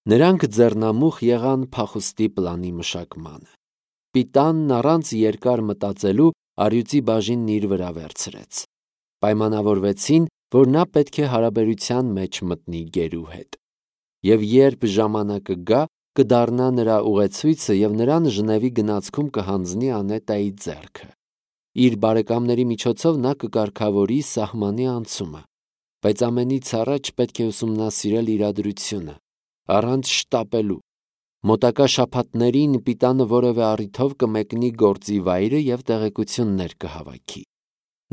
Նրանք ձեռնամուխ եղան փախուստի պլանի մշակմանը։ Պիտանն առանց երկար մտածելու առյուծի բաժինն իր վրա վերցրեց։ Պայմանավորվեցին, որ նա պետք է հարաբերության մեջ մտնի գերու հետ։ Եվ երբ ժամանակը գա, կդառնա նրա ուղեցույցը և նրան Ժնևի գնացքում կհանձնի Անետայի ձեռքը։ Իր բարեկամների միջոցով նա կկարգավորի սահմանի անցումը, բայց ամենից առաջ պետք է ուսումնասիրել իրադրությունը, առանց շտապելու։ Մոտակա շաբաթներին Պիտանը որևէ առիթով կմեկնի գործի վայրը և տեղեկություններ կհավաքի։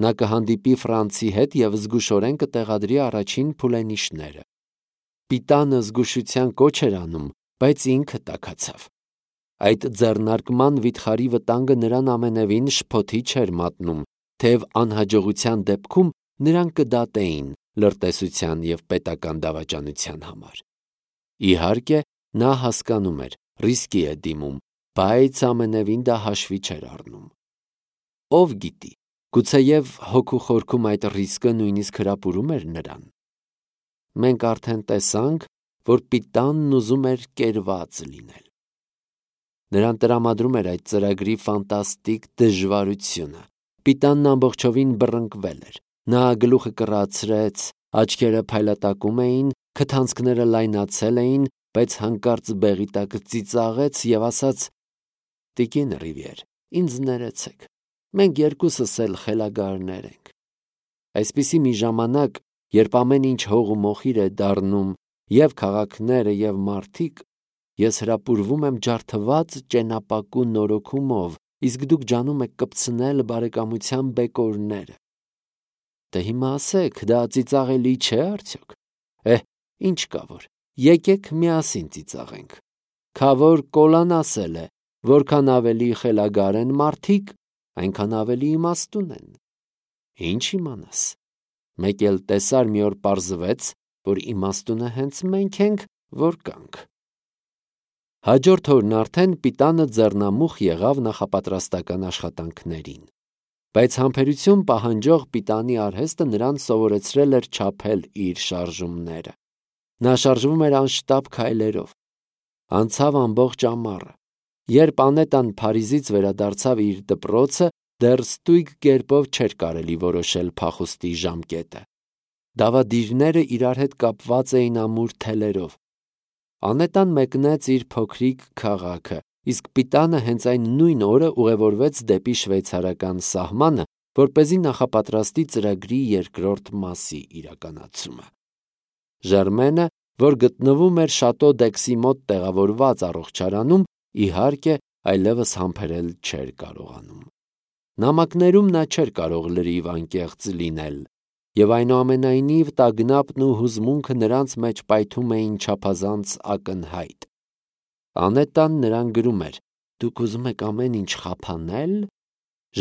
Նա կհանդիպի Ֆրանցի հետ և զգուշորեն կտեղադրի առաջին փուլենիշները։ Պիտանը զգուշության կոչ էր անում, բայց ինքը տաքացավ։ Այդ ձեռնարկման վիթխարի վտանգը նրան ամենևին շփոթի չէր մատնում, թեև անհաջողության դեպքում նրան կդատեին լրտեսության և պետական դավաճանության համար։ Իհարկե, նա հասկանում էր, ռիսկի է դիմում, բայց ամենևին դա հաշվի չէր առնում։ Ով գիտի, գուցեև հոգու խորքում այդ ռիսկը նույնիսկ հրապուրում էր նրան։ Մենք արդեն տեսանք, որ Պիտանն ուզում էր կերված լինել։ Նրան տրամադրում էր այդ ծրագրի ֆանտաստիկ դժվարությունը։ Պիտանն ամբողջովին բռնկվել էր։ Նա գլուխը կռացրեց, աչքերը փայլատակում էին, քթանցքները լայնացել էին, բայց հանկարծ բեղի տակ ծիծաղեց և ասաց. «Տիկին Ռիվիեր, ինձ ներեցեք, մենք երկուսս էլ խելագարներ ենք»։ Այսպիսի մի ժամանակ, երբ ամեն ինչ հող ու մոխիր է դառնում, և քաղաքները, և մարդիկ, ես հրապուրվում եմ ջարդված ճենապակու նորոգումով, իսկ դուք ջանում եք կպցնել բարեկամության բեկորները։ Դե հիմա ասեք, դա ծիծաղելի չէ՞ արդյոք։ Ինչ կա որ, եկեք միասին ծիծաղենք։ Քավոր Կոլան ասել է, որքան ավելի խելագար են մարդիկ, այնքան ավելի իմաստուն են։ Ինչ իմանաս։ Մեկ էլ տեսար մի օր պարզվեց, որ իմաստունը հենց մենք ենք, որ կանք։ Հաջորդ օրն արդեն Պիտանը ձեռնամուխ եղավ նախապատրաստական աշխատանքներին։ Բայց համբերություն պահանջող Պիտանի արհեստը նրան սովորեցրել էր չափել իր շարժումները։ Նա շարժվում էր անշտապ քայլերով։ Անցավ ամբողջ ամառը։ Երբ Անետան Փարիզից վերադարձավ իր դպրոցը, դեռ ստույգ կերպով չէր կարելի որոշել փախուստի ժամկետը։ Դավադիրները իրար հետ կապված էին ամուր թելերով։ Անետան մեկնեց իր փոքրիկ քաղաքը, իսկ Պիտանը հենց այն նույն օրը ուղևորվեց դեպի շվեյցարական սահմանը, որպեսզի նախապատրաստի ծրագրի երկրորդ մասի իրականացումը։ Ժերմենը, որ գտնվում էր Շատո Դեքսի մոտ տեղավորված առողջարանում, իհարկե, այլևս համբերել չէր կարողանում։ Նամակներում նա չէր կարող լրիվ անկեղծ լինել, և այնուամենայնիվ տագնապն ու հուզմունքը նրանց մեջ պայթում էին չափազանց ակնհայտ։ Անետան նրան գրում էր. «Դուք ուզում եք ամեն ինչ խափանե՞լ»։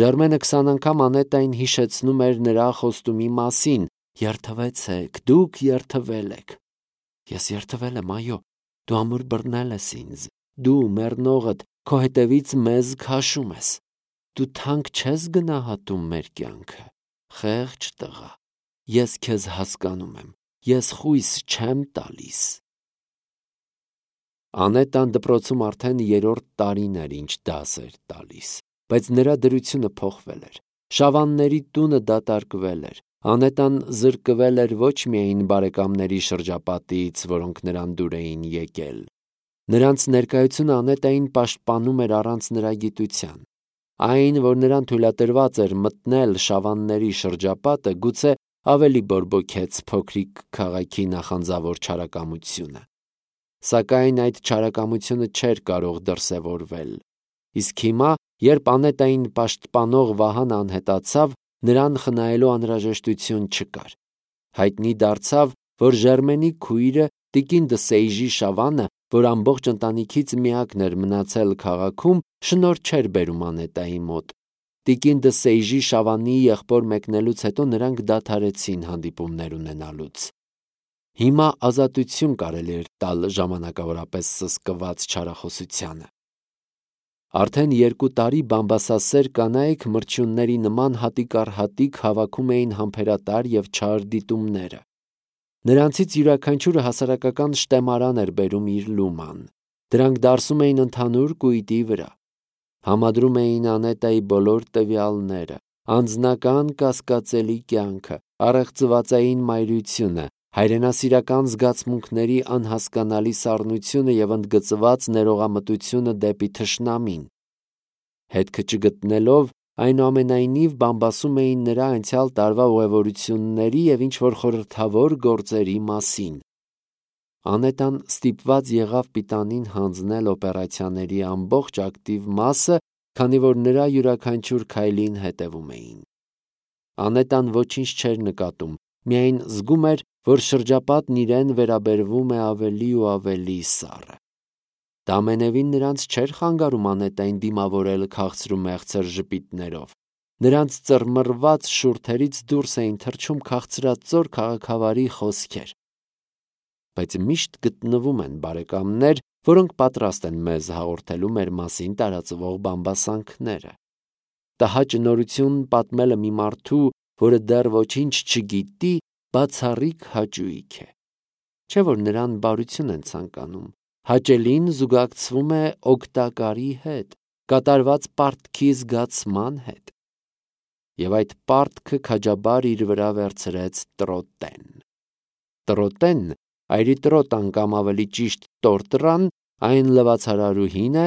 Ժերմենը 20 անգամ Անետային հիշեցնում էր նրա խոստումի մասին. «Երդվեցեք, դուք երդվել եք»։ Ես երդվել եմ, այո, դու ամուր բռնել ես ինձ, դու մեռնողդ քո հետևից մեզ քաշում ես։ Դու թանկ չես գնահատում մեր կյանքը, խեղճ տղա, ես քեզ հասկանում եմ, ես խույս չեմ տալիս։ Անետան դպրոցում արդեն 3-րդ տարին էր, ինչ դաս էր տալիս, բայց նրա դրությունը փոխվել էր։ Շավանների տունը դատարկվել էր։ Անետան զրկվել էր ոչ միայն բարեկամների շրջապատից, որոնք նրան դուր էին եկել։ Նրանց ներկայությունը Անետային պաշտպանում էր առանց նրա գիտության։ Այն, որ նրան թույլատրված էր մտնել շավանների շրջապատը, գուցե ավելի բորբոքեց փոքրիկ քաղաքի նախանձավոր չարակամությունը։ Սակայն այդ չարակամությունը չէր կարող դրսևորվել։ Իսկ հիմա, երբ Անետային պաշտպանող Վահանը անհետացավ, նրան խնայելու անհրաժեշտություն չկար։ Հայտնի դարձավ, որ Ժերմենի քույրը տիկին դը Սեյժի Շավանը, որ ամբողջ ընտանիքից միակն էր մնացել քաղաքում, շնորհ չէր բերում Անետայի մոտ։ Տիկին դը Սեյժի Շավանի եղբոր մեկնելուց հետո նրանք դադարեցին հանդիպումներ ունենալուց։ Հիմա ազատություն կարելի էր տալ ժամանակավորապես սսկված չարախոսությանը։ Արդեն 2 տարի բամբասասեր կանայք մրջյունների նման հատիկ առ հատիկ հավաքում էին համբերատար և չար դիտումները։ Նրանցից յուրաքանչյուրը հասարակական շտեմարան էր բերում իր լուման։ Դրանք դարսում էին ընդհանուր կույտի վրա։ Համադրում էին Անետայի բոլոր տվյալները, անձնական կասկածելի կյանքը, առեղծվածային մայրությունը, հայրենասիրական զգացմունքների անհասկանալի սառնությունը և ընդգծված ներողամտությունը դեպի թշնամին։ Հետքը չգտնելով, այնուամենայնիվ բամբասում էին նրա անցյալ տարվա ուղևորությունների և ինչ-որ խորհրդավոր գործերի մասին։ Անետան ստիպված եղավ Պիտանին հանձնել օպերացիաների ամբողջ ակտիվ մասը, քանի որ նրա յուրաքանչյուր քայլին հետևում էին։ Անետան ոչինչ չէր նկատում, միայն զգում էր, որ շրջապատն իրեն վերաբերվում է ավելի ու ավելի սառը։ Դա ամենևին նրանց չէր խանգարում Անետային դիմավորել քաղցր ու մեղցր ժպիտներով։ Նրանց ծռմռված շուրթերից դուրս էին թռչում քաղցրածոր քաղաքավարի խոսքեր։ Բայց միշտ գտնվում են բարեկամներ, որոնք պատրաստ են մեզ հաղորդելու մեր մասին տարածվող բամբասանքները։ Տհաճ նորություն պատմելը մի մարդու, որը դեռ ոչինչ չգիտի, բացառիկ հաճույք է։ Չէ՞ որ նրան բարություն են ցանկանում։ Հաճելին զուգակցվում է օգտակարի հետ, կատարված պարտքի զգացման հետ։ Եվ այդ պարտքը քաջաբար իր վրա վերցրեց Տրոտեն։ Տրոտեն, Այրիտրոտան կամ ավելի ճիշտ Տորտրան, այն լվացարարուհին է,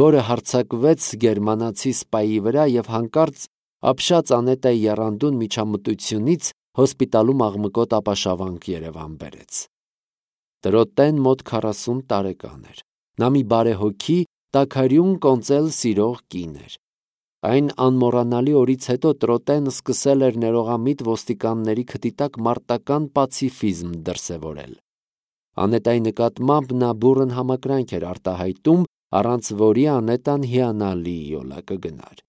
որը հարձակվեց գերմանացի սպայի վրա և հանկարծ ապշած Անետայի եռանդուն միջամտությունից հոսպիտալում աղմկոտ ապաշավանք Երևան բերեց։ Տրոտեն մոտ 40 տարեկան էր։ Նա մի բարեհոգի, տաքարյուն կոնծել սիրող կին էր։ Այն անմոռանալի օրից հետո Տրոտեն սկսել էր ներողամիտ ոստիկանների քթի տակ մարտական պացիֆիզմ դրսևորել։ Անետայի նկատմամբ նա բուռն համակրանք էր արտահայտում, առանց որի Անետան հիանալի յոլա կգնար։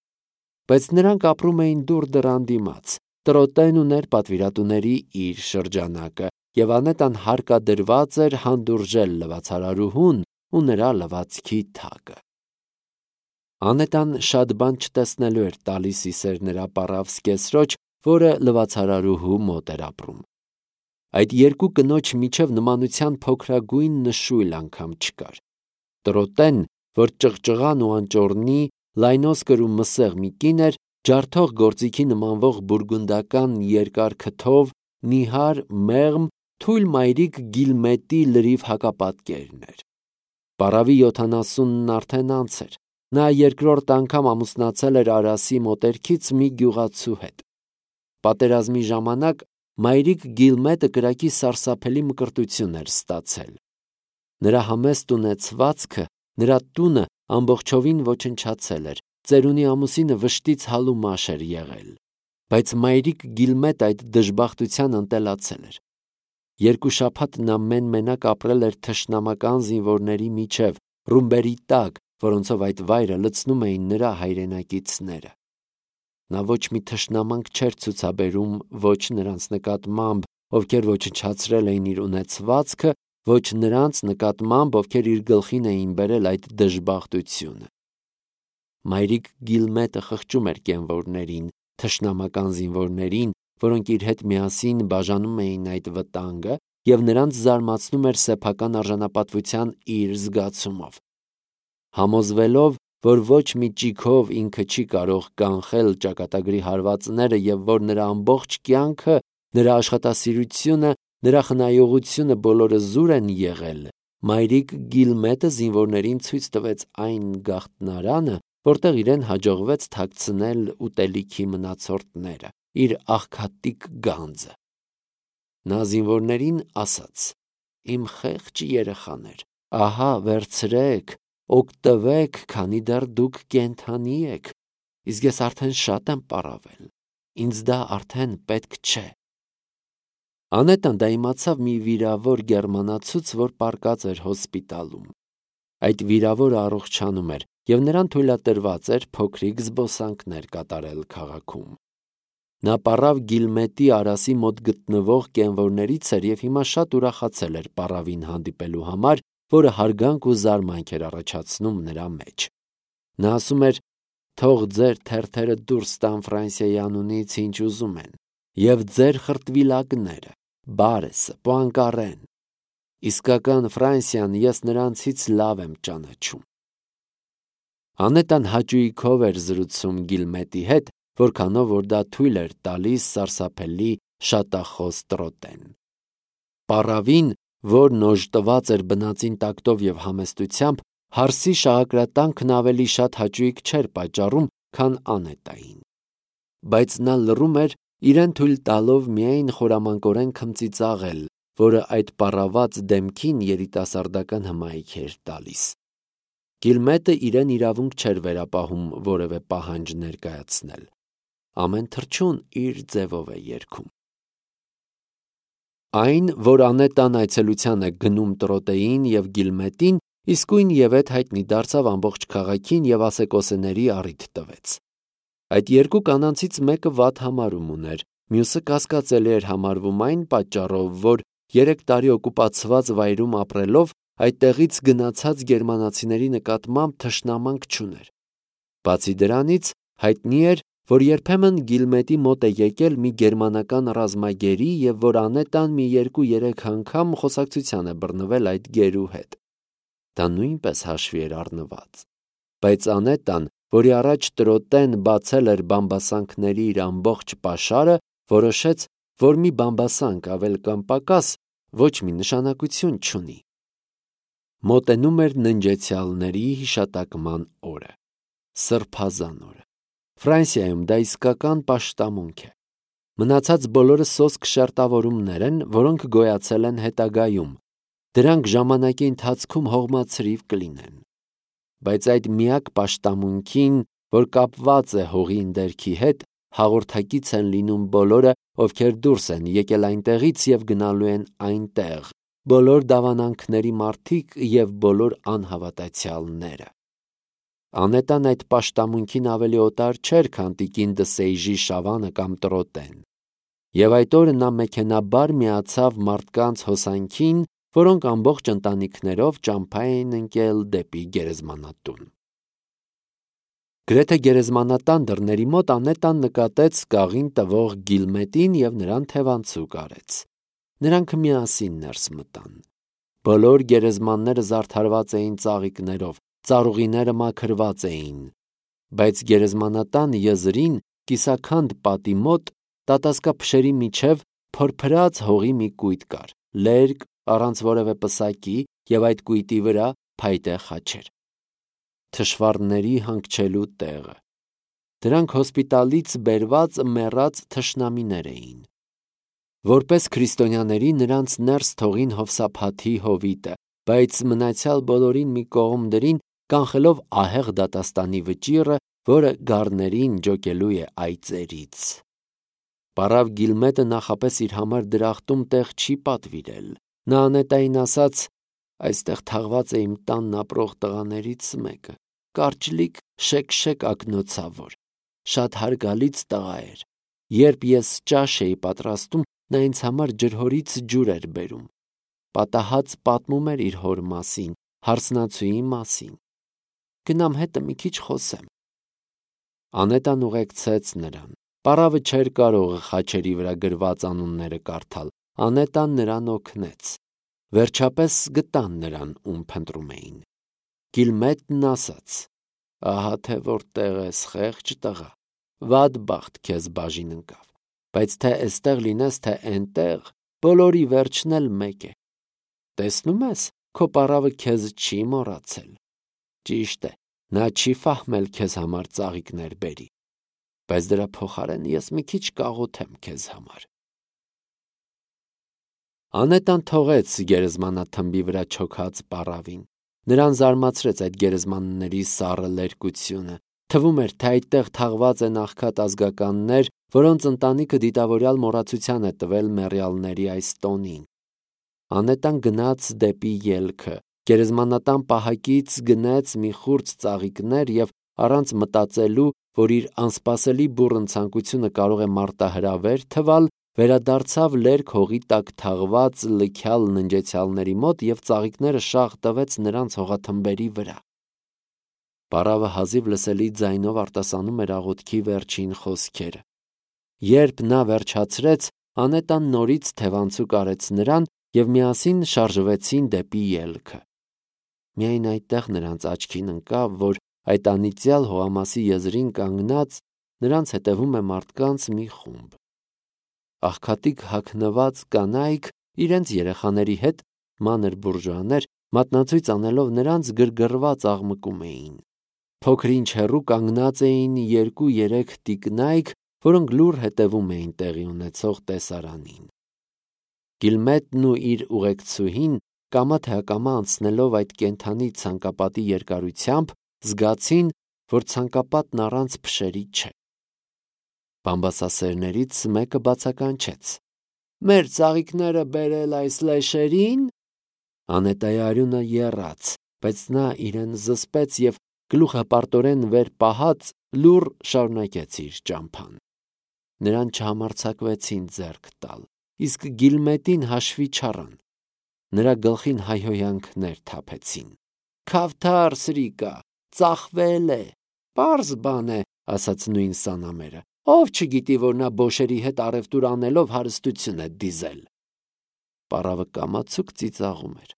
Բայց նրանք ապրում էին դուր դռան դիմաց։ Տրոտեն ուներ պատվիրատուների իր շրջանակը, և Անետան հարկադրված էր հանդուրժել լվացարարուհուն ու նրա լվացքի թագը։ Անետան շատ բան չտեսնելու էր տալիս իսեր նրա պառավ զկեսրոջ, որը լվացարարուհու մոտ էր ապրում։ Այդ երկու կնոջ միջև նմանության փոքրագույն նշույլ անգամ չկար։ Տրոտեն, որ ճղճղան ու անճոռնի, լայնոսկր ու մսեղ մի կին էր, ջարդող գործիքի նմանվող բուրգունդական երկար քթով, նիհար, մեղմ, թույլ մայրիկ Գիլմետի լրիվ հակապատկերն էր։ Պառավի 70-ն արդեն անց էր։ Նա երկրորդ անգամ ամուսնացել էր Արասի մոտերքից մի գյուղացու հետ։ Պատերազմի ժամանակ մայրիկ Գիլմետը կրակի սարսափելի մկրտություն էր ստացել։ Նրա համեստ ունեցվածքը, նրա տունը ամբողջովին ոչնչացել էր, ծերունի ամուսինը վշտից հալումաշ էր եղել։ Բայց մայրիկ Գիլմետը այդ դժբախտության ընտելացել էր։ 2 շաբաթ նա մեն-մենակ ապրել էր թշնամական զինվորների միջև, ռումբերի տակ, որոնցով այդ վայրը լցնում էին նրա հայրենակիցները։ Նա ոչ մի թշնամանք չէր ցուցաբերում ոչ նրանց նկատմամբ, ովքեր ոչնչացրել էին իր ունեցվածքը, ոչ նրանց նկատմամբ, ովքեր իր գլխին էին բերել այդ դժբախտությունը։ Մայրիկ Գիլմետը խղճում էր կենվորներին, թշնամական զինվորներին, որոնք իր հետ միասին բաժանում էին այդ վտանգը, և նրանց զարմացնում էր սեփական արժանապատվության իր զգացումով։ Համոզվելով, որ ոչ մի ճիգով ինքը չի կարող կանխել ճակատագրի հարվածները և որ նրա ամբողջ կյանքը, նրա աշխատասիրությունը, նրա խնայողությունը բոլորը զուր են եղել, մայրիկ Գիլմետը զինվորներին ցույց տվեց այն գաղտնարանը, որտեղ իրեն հաջողվեց թաքցնել ուտելիքի մնացորդները, իր աղքատիկ գանձը։ Նա զինվորներին ասաց. «Իմ խեղճ երեխաներ, ահա վերցրեք, օգտվեք, քանի դեռ դուք կենդանի եք, իսկ ես արդեն շատ եմ պառավել, ինձ դա արդեն պետք չէ»։ Անետան դա իմացավ մի վիրավոր գերմանացուց, որ պառկած էր հոսպիտալում։ Այդ վիրավորը առողջանում էր, և նրան թույլատրված էր փոքրիկ զբոսանքներ կատարել քաղաքում։ Նա պառավ Գիլմետի Արասի մոտ գտնվող կենվորներից էր և հիմա շատ ուրախացել էր պառավին հանդիպելու համար, որը հարգանք ու զարմանք էր առաջացնում նրա մեջ։ Նա ասում էր. «Թող ձեր թերթերը դուրս տան Ֆրանսիայի անունից ինչ ուզում են, և ձեր խրտվիլակները, Բարեսը, Պուանկարեն։ Իսկական Ֆրանսիան ես նրանցից լավ եմ ճանաչում։ Անետան հաճույքով էր զրուցում Գիլմետի հետ, որքանով որ դա թույլ էր տալիս սարսափելի շատախոս Տրոտեն։ Պառավին, որն օժտված էր բնածին տակտով և համեստությամբ, հարսի շաղակրատանքն ավելի շատ հաճույք չէր պատճառում, քան Անետային։ Բայց նա լռում էր, իրեն թույլ տալով միայն խորամանկորեն քմծիծաղել, որը այդ պառաված դեմքին երիտասարդական հմայք էր տալիս։ Գիլմետը իրեն իրավունք չէր վերապահում որևէ պահանջ ներկայացնել։ Ամեն թռչուն իր ձևով է երգում։ Այն, որ Անետան այցելության է գնում Տրոտեին և Գիլմետին, իսկույն ևեթ հայտնի դարձավ ամբողջ քաղաքին և ասեկոսեների առիթ տվեց։ Այդ երկու կանանցից մեկը վատ համարում ուներ, մյուսը կասկածելի էր համարվում այն պատճառով, որ 3 տարի օկուպացված վայրում ապրելով այդտեղից գնացած գերմանացիների նկատմամբ թշնամանք չուներ։ Բացի դրանից, հայտնի էր, որ երբեմն Գիլմետի մոտ է եկել մի գերմանական ռազմագերի և որ Անետան մի 2-3 անգամ խոսակցության է բռնվել այդ գերու հետ։ Դա նույնպես հաշվի էր առնված։ Բայց Անետան, որի առաջ Տրոտեն բացել էր բամբասանքների իր ամբողջ պաշարը, որոշեց, որ մի բամբասանք ավել կամ պակաս ոչ մի նշանակություն չունի։ Մոտենում էր ննջեցյալների հիշատակման օրը, Սրբազան օրը։ Ֆրանսիայում դա իսկական պաշտամունք է։ Մնացած բոլորը սոսկ շերտավորումներ են, որոնք գոյացել են հետագայում։ Դրանք ժամանակի ընթացքում հողմացրիվ կլինեն։ Բայց այդ միակ պաշտամունքին, որ կապված է հողի ընդերքի հետ, հաղորդակից են լինում բոլորը, ովքեր դուրս են եկել այնտեղից և գնալու են այնտեղ, բոլոր դավանանքների մարդիկ և բոլոր անհավատացյալները։ Անետան այդ պաշտամունքին ավելի օտար չէր, քան տիկին Դսեյժի Շավանը կամ Տրոտեն։ Եվ այդ օրը նա մեքենաբար միացավ մարդկանց հոսանքին, որոնք ամբողջ ընտանիքներով ճամփա էին ընկել դեպի գերեզմանատուն։ Գրեթե գերեզմանատան դռների մոտ Անետան նկատեց կաղին տվող Գիլմետին և նրան թևանցուկ արեց։ Նրանք միասին ներս մտան։ Բոլոր գերեզմանները զարդարված էին ծաղիկներով, ծառուղիները մաքրված էին, բայց գերեզմանատան եզրին կիսաքանդ պատի մոտ տատասկափշերի միջև փորփրած հողի մի կույտ կար, լերկ, առանց որևէ պսակի և այդ կույտի վրա փայտե խաչեր։ Թշվառների հանգչելու տեղը։ Դրանք հոսպիտալից բերված մեռած թշնամիներ էին։ Որպես քրիստոնյաների նրանց ներս թողին հովսափաթի հովիտը, բայց մնացյալ բոլորին մի կողմ դրին, կանխելով ահեղ դատաստանի վճիռը, որը գառներին ջոկելու է այծերից։ Պառավ Գիլմետը նախապես իր համար դրախտում տեղ չի պատվիրել։ Նա Անետային ասաց. «Այստեղ թաղված է իմ տանն ապրող տղաներից մեկը, կարճլիկ շեկ-շեկ ակնոցավոր, շատ հարգալից տղա էր։ Երբ ես ճաշ էի պատրաստում, նա ինձ համար ջրհորից ջուր էր բերում։ Պատահած պատմում էր իր հոր մասին, հարսնացուի մասին։ Գնամ հետը մի քիչ խոսեմ»։ Անետան ուղեկցեց նրան։ Պառավը չէր կարող խաչերի վրա գրված անունները կարդալ։ Անետան նրան օգնեց։ Վերջապես գտան նրան, ում փնտրում էին։ Գիլմետն ասաց. «Ահա թե որտեղ ես, խեղճ տղա, վատ բախտ քեզ բաժին ընկավ, բայց թե էստեղ լինես, թե էնտեղ, բոլորի վերջն էլ մեկ է։ Տեսնում ես, քո պառավը քեզ չի մոռացել։ Ճիշտ է, նա չի ֆահմել քեզ համար ծաղիկներ բերի, բայց դրա փոխարեն ես մի քիչ կաղոթեմ քեզ համար»։ Անետան թողեց գերեզմանաթմբի վրա չոքած պառավին։ Նրան զարմացրեց այդ գերեզմանների սառը լերկությունը։ Թվում էր, թե այդտեղ թաղված են աղքատ ազգականներ, որոնց ընտանիքը դիտավորյալ մոռացության է տվել մեռյալների այս տոնին։ Անետան գնաց դեպի ելքը, գերեզմանատան պահակից գնեց մի խուրձ ծաղիկներ և առանց մտածելու, որ իր անսպասելի բուռն ցանկությունը կարող է մարտահրավեր թվալ, վերադարձավ լերկ հողի տակ թաղված լքյալ ննջեցյալների մոտ և ծաղիկները շաղ տվեց նրանց հողաթմբերի վրա։ Պառավը հազիվ լսելի ձայնով արտասանում էր աղոթքի վերջին խոսքերը։ Երբ նա վերջացրեց, Անետան նորից թևանցուկ արեց նրան և միասին շարժվեցին դեպի ելքը։ Միայն այդտեղ նրանց աչքին ընկավ, որ այդ անիծյալ հողամասի եզրին կանգնած նրանց հետևում է մարդկանց մի խումբ։ Աղքատիկ հագնված կանայք իրենց երեխաների հետ, մանր բուրժուաներ, մատնացույց անելով նրանց գրգռված աղմկում էին։ Փոքր-ինչ հեռու կանգնած էին 2-3 տիկնայք, որոնք լուռ հետևում էին տեղի ունեցող տեսարանին։ Գիլմետն ու իր ուղեկցուհին կամա թե ակամա անցնելով այդ կենդանի ցանկապատի երկարությամբ զգացին, որ ցանկապատն առանց փշերի չէ։ Բամբասասերներից մեկը բացականչեց. «Մեր ծաղիկները բերել այս լեշերին»։ Անետայի արյունը եռաց, բայց նա իրեն զսպեց և գլուխը պարտորեն վեր պահած լուռ շարունակեց իր ճամփան։ Նրան չհամարձակվեցին ձեռք տալ, իսկ Գիլմետին հաշվի չառան։ Նրա գլխին հայհոյանքներ թափեցին։ «Քավթար սրիկա, ծախվել է, պարզ բան է», ասաց նույն սանամերը։ «Ով չգիտի, որ նա բոշերի հետ առևտուր անելով հարստություն է դիզել»։ Պառավը կամացուկ ծիծաղում էր։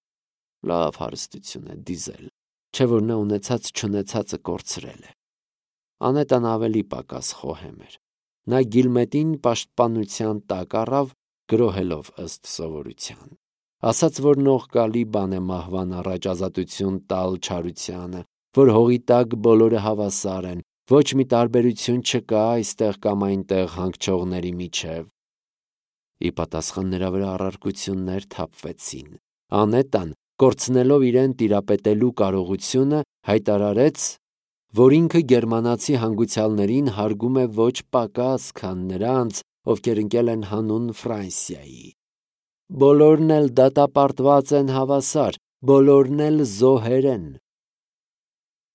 Լավ հարստություն է դիզել, չէ՞ որ նա ունեցած-չունեցածը կորցրել է։ Անետան ավելի պակաս խոհեմ էր։ Նա Գիլմետին պաշտպանության տակ առավ, գրոհելով ըստ սովորության։ Ասաց, որ նողկալի բան է մահվան առաջ ազատություն տալ չարությանը, որ հողի տակ բոլորը հավասար են, ոչ մի տարբերություն չկա այստեղ կամ այնտեղ հանգչողների միջև։ Ի պատասխան նրա վրա առարկություններ թափվեցին։ Անետան, կորցնելով իրեն տիրապետելու կարողությունը, հայտարարեց, որ ինքը գերմանացի հանգուցյալներին հարգում է ոչ պակաս, քան նրանց, ովքեր ընկել են հանուն Ֆրանսիայի։ Բոլորն էլ դատապարտված են հավասար, բոլորն էլ զոհեր են։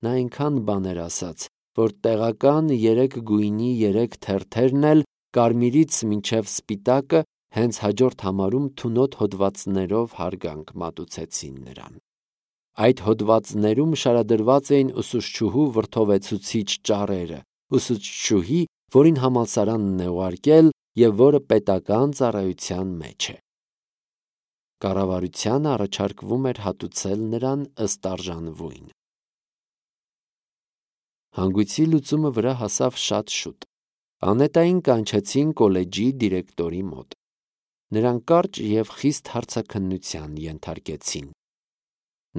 Նա այնքան բաներ ասաց, որ տեղական 3 գույնի 3 թերթերն էլ կարմիրից մինչև սպիտակը հենց հաջորդ համարում թունոտ հոդվածներով հարգանք մատուցեցին նրան։ Այդ հոդվածներում շարադրված էին ուսուցչուհու վրդովեցուցիչ ճառերը, ուսուցչուհի, որին համալսարանն է ուղարկել և որը պետական ծառայության մեջ է։ Կառավարությանը առաջարկվում էր հատուցել նրան ըստ արժանվույն։ Հանգույցի լուծումը վրա հասավ շատ շուտ։ Անետային կանչեցին կոլեջի դիրեկտորի մոտ։ Նրան կարճ և խիստ հարցաքննության ենթարկեցին։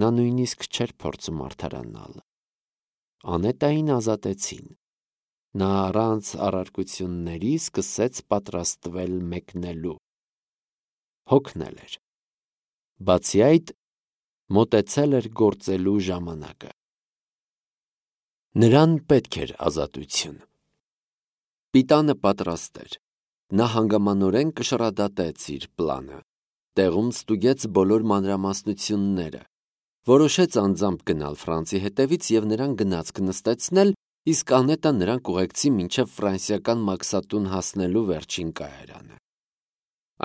Նա նույնիսկ չէր փորձում արդարանալ։ Անետային ազատեցին։ Նա առանց առարկությունների սկսեց պատրաստվել մեկնելու։ Հոգնել էր։ Բացի այդ, մոտեցել էր գործելու ժամանակը։ Նրան պետք էր ազատություն։ Պիտանը պատրաստ էր։ Նա հանգամանորեն կշռադատեց իր պլանը։ Տեղում ստուգեց բոլոր մանրամասնությունները։ Որոշեց անձամբ գնալ Ֆրանցի հետևից և նրան գնացք նստեցնել, իսկ Անետան նրան կուղեկցի մինչև ֆրանսիական մաքսատուն հասնելու վերջին կայարանը։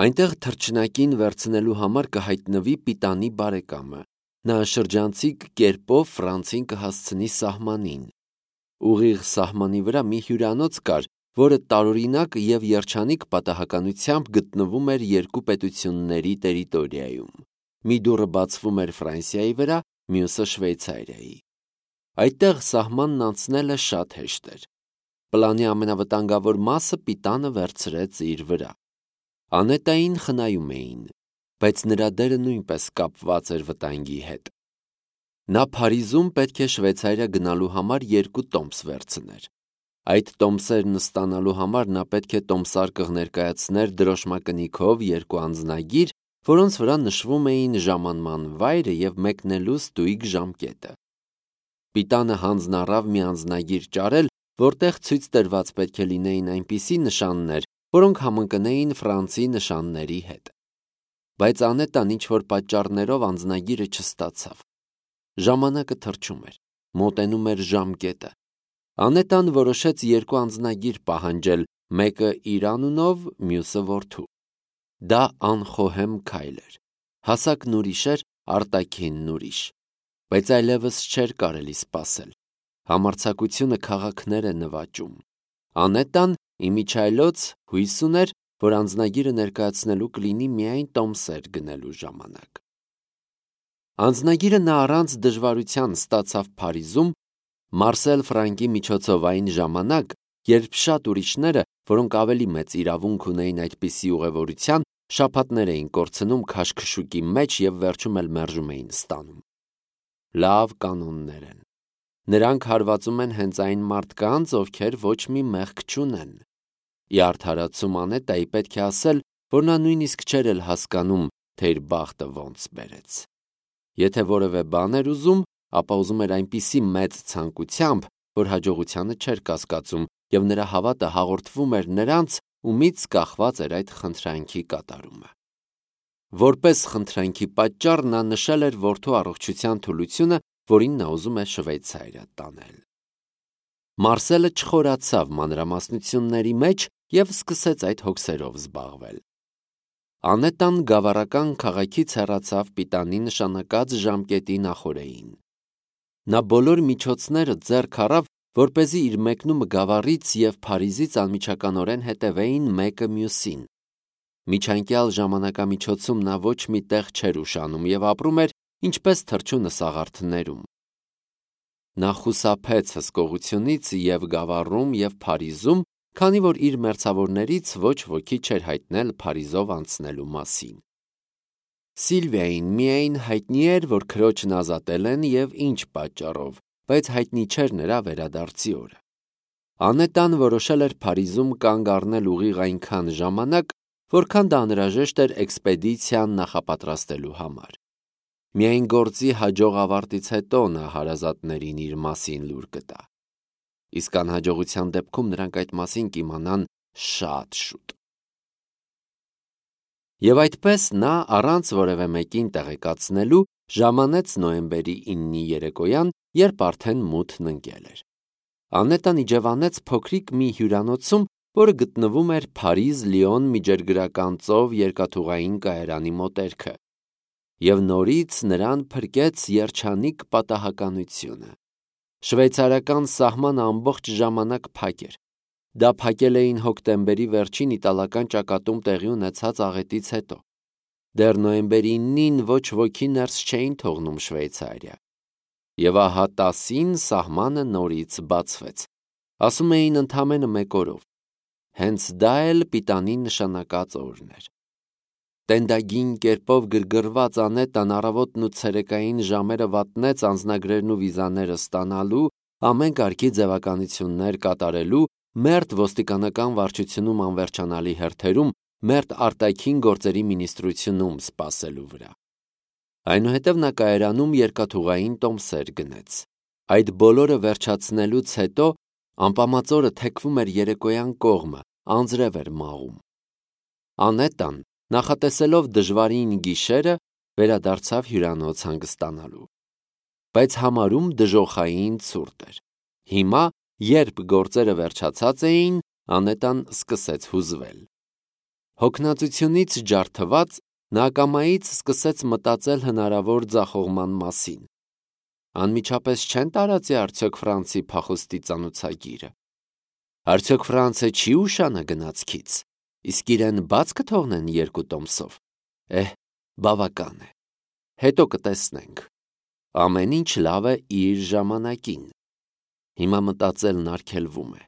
Այնտեղ թռչնակին վերցնելու համար կհայտնվի Պիտանի բարեկամը։ Նա շրջանցիկ կերպով Ֆրանցին կհասցնի սահմանին։ Ուղիղ սահմանի վրա մի հյուրանոց կար, որը տարօրինակ և երջանիկ պատահականությամբ գտնվում էր երկու պետությունների տերիտորիայում։ Մի դուռը բացվում էր Ֆրանսիայի վրա, մյուսը Շվեյցարիայի։ Այդտեղ սահմանն անցնելը շատ հեշտ էր։ Պլանի ամենավտանգավոր մասը Պիտանը վերցրեց իր վրա։ Անետային խնայում էին, բայց նրա դերը նույնպես կապված էր վտանգի հետ։ Նա Փարիզում պետք է Շվեյցարիա գնալու համար 2 տոմս վերցներ։ Այդ տոմսերն ստանալու համար նա պետք է տոմսարկղ ներկայացներ դրոշմակնիքով 2 անձնագիր, որոնց վրա նշվում էին ժամանման վայրը և մեկնելու ստույգ ժամկետը։ Պիտանը հանձն առավ մի անձնագիր ճարել, որտեղ ցույց տրված պետք է լինեին այնպիսի նշաններ, որոնք համընկնեին Ֆրանսի նշանների հետ։ Բայց Անետան ինչ-որ պատճառներով անձնագիրը չստացավ։ Ժամանակը թռչում էր, մոտենում էր ժամկետը։ Անետան որոշեց 2 անձնագիր պահանջել, մեկը իր անունով, մյուսը որդու։ Դա անխոհեմ քայլ էր։ Հասակն ուրիշ էր, արտաքինն ուրիշ։ Բայց այլևս չէր կարելի սպասել։ Համարձակությունը քաղաքներ է նվաճում։ Անետան իմիջիայլոց հույս ուներ, որ անձնագիրը ներկայացնելու կլինի միայն տոմսեր գնելու ժամանակ։ Անձնագիրը նա առանց դժվարության ստացավ Փարիզում Մարսել Ֆրանկի միջոցով այն ժամանակ, երբ շատ ուրիշները, որոնք ավելի մեծ իրավունք ունեին այդպիսի ուղևորության, շաբաթներ էին կորցնում քաշքշուկի մեջ և վերջում էլ մերժում էին ստանում։ Լավ կանոններ են։ Նրանք հարվածում են հենց այն մարդկանց, ովքեր ոչ մի մեղք չունեն։ Ի արդարացում Անետայի պետք է ասել, որ նա նույնիսկ չէր էլ հասկանում, թե իր բախտը ոնց բերեց։ Եթե որևէ բան էր ուզում, ապա ուզում էր այնպիսի մեծ ցանկությամբ, որ հաջողությանը չէր կասկածում, և նրա հավատը հաղորդվում էր նրանց, ումից կախված էր այդ խնդրանքի կատարումը։ Որպես խնդրանքի պատճառ նա նշել էր որդու առողջության թուլությունը, որին նա ուզում է Շվեյցարիա տանել։ Մարսելը չխորացավ մանրամասնությունների մեջ և սկսեց այդ հոգսերով զբաղվել։ Անետան գավառական քաղաքից հեռացավ պիտանի նշանակած ժամկետի նախօրեին։ Նա բոլոր միջոցները ձեռք առավ, որպեսզի իր մեկնումը գավառից և Փարիզից անմիջականորեն հետևեին մեկը մյուսին։ Միջանկյալ ժամանակամիջոցում նա ոչ մի տեղ չէր ուշանում և ապրում էր ինչպես թռչունը սաղարթներում։ Նա խուսափեց հսկողությունից և գավառում և Փարիզում, քանի որ իր մերձավորներից ոչ ոքի չէր հայտնել Փարիզով անցնելու մասին։ Սիլվիային միայն հայտնի էր, որ քրոջն ազատել են և ինչ պատճառով, բայց հայտնի չէր նրա վերադարձի օրը։ Անետան որոշել էր Փարիզում կանգ առնել ուղիղ այնքան ժամանակ, որքան դա անհրաժեշտ էր էքսպեդիցիան նախապատրաստելու համար։ Միայն գործի հաջող ավարտից հետո նա հարազատներին իր մասին լուր կտա։ Իսկ անհաջողության դեպքում նրանք այդ մասին կիմանան շատ շուտ։ Եվ այդպես նա առանց որևէ մեկին տեղեկացնելու ժամանեց նոյեմբերի 9-ի երեկոյան, երբ արդեն մութն ընկել էր։ Անետան իջևանեց փոքրիկ մի հյուրանոցում, որը գտնվում էր Փարիզ-Լիոն միջերգրական ծով երկաթուղային կայարանի մոտերքը, և նորից նրան փրկեց երջանիկ պատահականությունը։ Շվեյցարական սահմանը ամբողջ ժամանակ փակ էր։ Դա փակել էին հոկտեմբերի վերջին իտալական ճակատում տեղի ունեցած աղետից հետո։ Դեռ նոյեմբերի 9-ին ոչ ոքի ներս չէին թողնում Շվեյցարիա։ Եվ ահա 10-ին սահմանը նորից բացվեց։ Ասում էին ընդամենը մեկ օրով։ Հենց դա էլ պիտանի նշանակած օրն էր։ Տենդագին կերպով գրգռված Անետան առավոտն ու ցերեկային ժամերը վատնեց անձնագրերն ու վիզաները ստանալու, ամեն կարգի ձևականություններ կատարելու, մերթ ոստիկանական վարչությունում անվերջանալի հերթերում, մերթ արտաքին գործերի մինիստրությունում սպասելու վրա։ Այնուհետև նա կայարանում երկաթուղային տոմսեր գնեց։ Այդ բոլորը վերջացնելուց հետո ամպամածորը թեքվում էր երեկոյան կողմը, անձրև էր մաղում։ Անետան, նախատեսելով դժվարին գիշերը, վերադարձավ հյուրանոց հանգստանալու։ Բայց համարում դժոխային ցուրտ էր։ Հիմա, երբ գործերը վերջացած էին, Անետան սկսեց հուզվել։ Հոգնածությունից ջարդված, նա ակամայից սկսեց մտածել հնարավոր ձախողման մասին։ Անմիջապես չեն տարածի արդյոք Ֆրանսի փախուստի ծանուցագիրը։ Արդյոք Ֆրանսը չի ուշանա գնացքից, իսկ իրեն բաց կթողնեն 2 տոմսով։ Բավական է։ Հետո կտեսնենք։ Ամեն ինչ լավ է իր ժամանակին։ Հիմա մտածելն արգելվում է։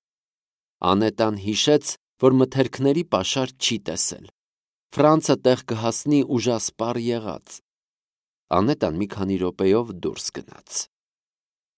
Անետան հիշեց, որ մթերքների պաշար չի տեսել։ Ֆրանսը տեղ կհասնի ուժասպառ եղած։ Անետան մի քանի րոպեով դուրս գնաց։